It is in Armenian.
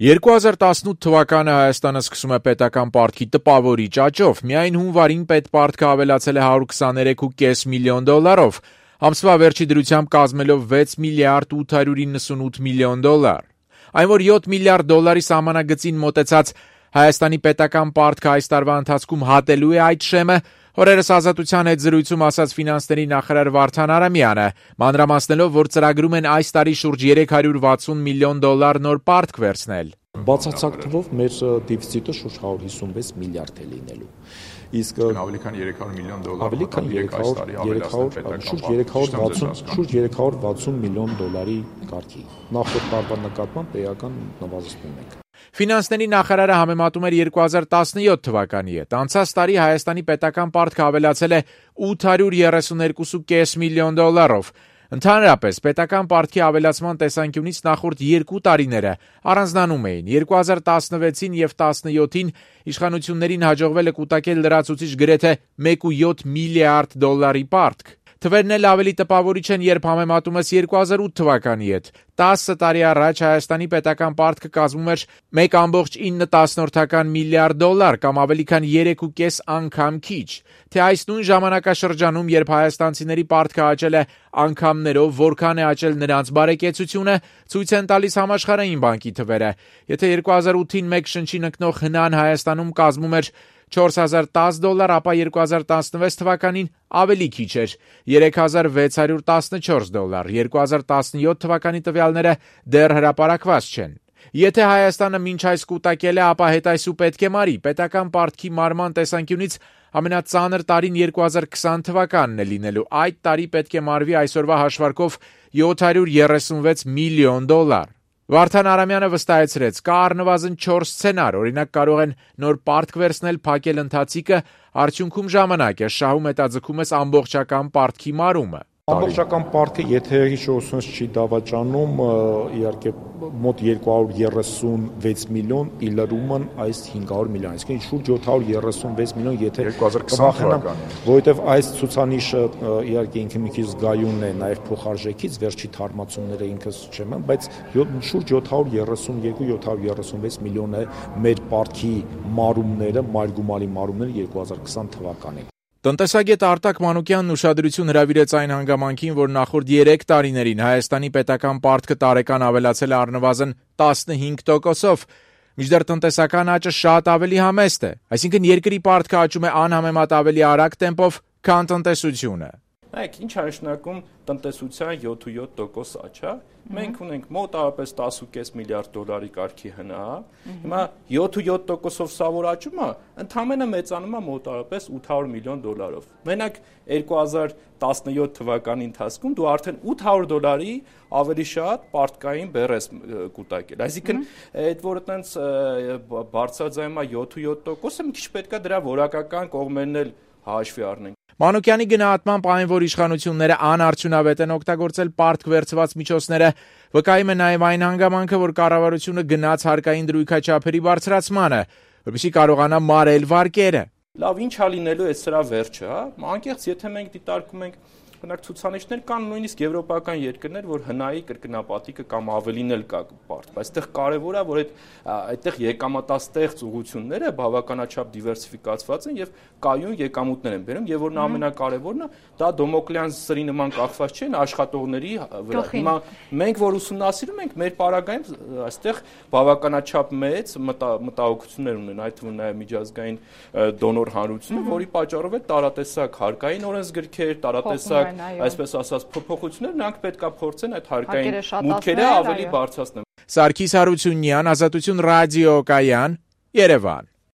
2018 թվականը Հայաստանը սկսում է պետական պարտքի տպավորիչ աճով, միայն հունվարին պետպարտքը ավելացել է 123.5 միլիոն դոլարով, ամսվա վերջի դրությամբ կազմելով 6 միլիարդ 898 միլիոն դոլար։ Այն, որ 7 միլիարդ դոլարի սահմանագծին մոտեցած Հայաստանի պետական պարտքը այս տարվա ընթացքում հատելու է այդ շեմը, օրերս Ազատության հետ զրույցում ասաց ֆինանսների նախարար Վարդան Արամյանը, մանրամասնելով, որ ծրագրում են այս տարի շուրջ 360 միլիոն դոլար նոր պարտք վերցնել։ Բացարձակ թվով մեր դեֆիցիտը շուրջ 156 միլիարդ է լինելու։ Իսկ ավելի քան 300 միլիոն դոլար շուրջ 360 միլիոն դոլարի կարգի։ Նախորդ տարվա նկատմամբ էական նվազեցնում ենք։ Ֆինանսների նախարարը համեմատում էր 2017 թվականի հետ։ Անցած տարի Հայաստանի պետական պարտքը ավելացել է 832.5 միլիոն դոլարով։ Ընդհանրապես, պետական պարտքի ավելացման տեսանկյունից նախորդ 2 տարիները առանձնանում էին։ 2016-ին և 2017-ին իշխանություններին հաջողվել է կուտակել լրացուցիչ գրեթե 1.7 միլիարդ դոլարի պարտք։ Թվերն էլ ավելի տպավորիչ են, երբ համեմատում ես 2008 թվականի հետ։ 10 տարի առաջ Հայաստանի պետական պարտքը կազմում էր 1.9 միլիարդ դոլար կամ ավելի քան 3.5 անգամ քիչ։ Թե այս նույն ժամանակաշրջանում, երբ հայաստանցիների պարտքը աճել է անգամներով, որքան է աճել նրանց բարեկեցությունը, ցույց են տալիս Համաշխարհային բանկի թվերը։ Եթե 2008-ին մեկ շնչին ընկնող հնան Հայաստանում կազմում էր 4010 դոլար, ապա 2016 թվականին ավելի քիչ էր՝ 3614 դոլար, 2017 թվականի տվյալները դեռ հրապարակված չեն։ Եթե Հայաստանը մինչ այս կուտակել է, ապա հետայսու պետք է մարի։ Պետական պարտքի մարման տեսանկյունից ամենածանր տարին 2020 թվականն է լինելու։ Այդ տարի պետք է մարվի այսօրվա հաշվարկով 736 միլիոն դոլար։ Վարդան Արամյանը վստահեցրեց, կա առնվազն 4 սցենար, օրինակ կարող են նոր պարտք վերցնել, փակել ընթացիկը, արդյունքում ժամանակ է, շահում հետաձգում ես ամբողջական պարտքի մարումը։ Ամբողջական պարտքը, եթե հիշողությունս չի դավաճանում, իհարկե մոտ 236 միլիոն, իլրումն այս 500 միլիոն, այսինքն շուրջ 736 միլիոն, եթե 2020 թվականին, որովհետև այս ցուցանիշը իհարկե ինքը մի քիչ զգայուն է նաև փոխարժեքից, վերջի թարմացումները ինքս չեմ, բայց շուրջ 732-736 միլիոն է մեր պարտքի մարումները, մայրգումարի մարումները 2020 թվականին։ Տնտեսագետ Արտակ Մանուկյանն ուշադրություն հրավիրեց այն հանգամանքին, որ նախորդ 3 տարիներին Հայաստանի պետական պարտքը տարեկան ավելացել է առնվազն 15%-ով, մինչդեռ տնտեսական աճը շատ ավելի համեստ է, այսինքն երկրի պարտքը աճում է անհամեմատ ավելի արագ տեմպով, քան տնտեսությունը։ Նայեք, ինչ է նշանակում տնտեսության 7.7% աճ, մենք ունենք մոտավորապես 10.5 միլիարդ դոլարի կարգի հնա, հիմա 7.7%-ով սա որ աճում է, ընդամենը մեծանում է մոտավորապես 800 միլիոն դոլարով։ Մենակ 2017 թվականի ընթացքում դու արդեն 800 դոլարի ավելի շատ պարտքային բեռ ես կուտակել։ Այսինքն, այդ որ այտենց բարձրաձայնում է 7.7%-ը, մի քիչ պետք է դրա որակական կողմերն էլ հաշվի առնենք։ Մանուկյանի գնահատմամբ այն, որ իշխանությունները անարդյունավետ են օգտագործել պարտք վերցված միջոցները, վկայում է նաև այն հանգամանքը, որ կառավարությունը գնաց հարկային դրույքաչափերի բարձրացմանը, որպեսզի կարողանա մարել վարկերը։ Լավ, ինչ է լինելու է սրա վերջը, հա? Անկեղծ, եթե մենք դիտարկում ենք ցուցանիշներ կան նույնիսկ եվրոպական երկրներ, որ հնայի կրկնապատիկը կամ ավելին էլ կա պարտ, բայց այդտեղ կարևոր է, որ այդտեղ եկամտաստեղծ ուղղությունները բավականաչափ դիվերսիֆիկացված են եւ կայուն եկամուտներ են բերում, եւ որն ամենակարևորն է, դա Դոմոկլեան սրի նման կախված չէ աշխատողների վրա։ Հիմա մենք որ ուսումնասիրում ենք, մեր պարագայում այստեղ բավականաչափ մեծ մտահոգություններ ունեն, այդ թվում նաև միջազգային դոնոր հանրությունը, որի պատճառով է տարատեսակ հարկային օրենսգրքեր, տարատեսակ այսպես ասած փոփոխություններ, նրանք պետք է փորձեն այդ հարկային մուտքերը ավելի բարձրացնել։ Սարգիս Հարությունյան, Ազատություն ռադիոկայան, Երևան։